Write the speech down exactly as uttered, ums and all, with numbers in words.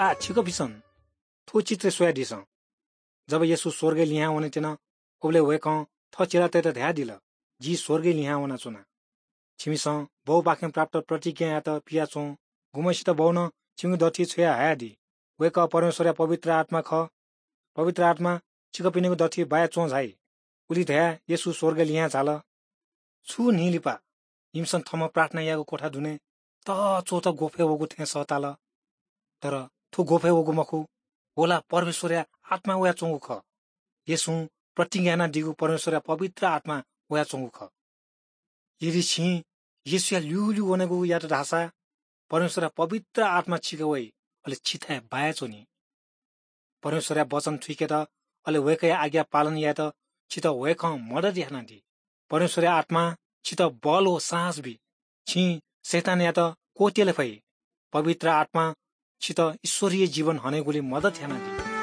आः छिकपिन्सं थ्व चित्र स्वयादिसँ। जब येशू स्वर्गय् लिहां वनेत्यन, उबलय् वय्‌कलं थः चेलातय्‌त धयादिल, "जि स्वर्गय् लिहां वनाच्वना। छिमिसं बौपाखें प्राप्त प्रतिज्ञायात पियाच्वँ। गुम्हसित बौनं छिमिगु दथुइ छ्वया हयादी। वय्‌कः परमेश्वरया पवित्र आत्मा खः। पवित्र आत्मा छिकपिनिगु दथुइ बायाच्वं झाइ।" उलि धयाः येशू स्वर्गय् लिहां झाल। छु न्हि लिपा इमिसं थःम्हं प्रार्थना याःगु क्वथा दुने तःच्वःत ग्वफय् वःगु थें सःताल। तर थ्व ग्वफय् वःगु मखु, व ला परमेश्वरया आत्मा वयाच्वंगु खः। येशूं प्रतिज्ञा यानादीगु परमेश्वरया पवित्र आत्मा वयाच्वंगु खः। यदि छिं येशूया ल्यूल्यू वनेगु यात धाःसा परमेश्वरया पवित्र आत्मा छिके वइ, अले छिथाय् बायाच्वनी। परमेश्वरया वचन थुइकेत, अले वय्‌कःया आज्ञा पालन यायेत छितः वय्‌कलं मदत यानादी। परमेश्वरया आत्मां छितः बल व साहस बी। छिं शैतानयात क्वत्यल फइ। पवित्र आत्मां छितः ईश्वरीय जीवन हनेगुली मदत यानादी।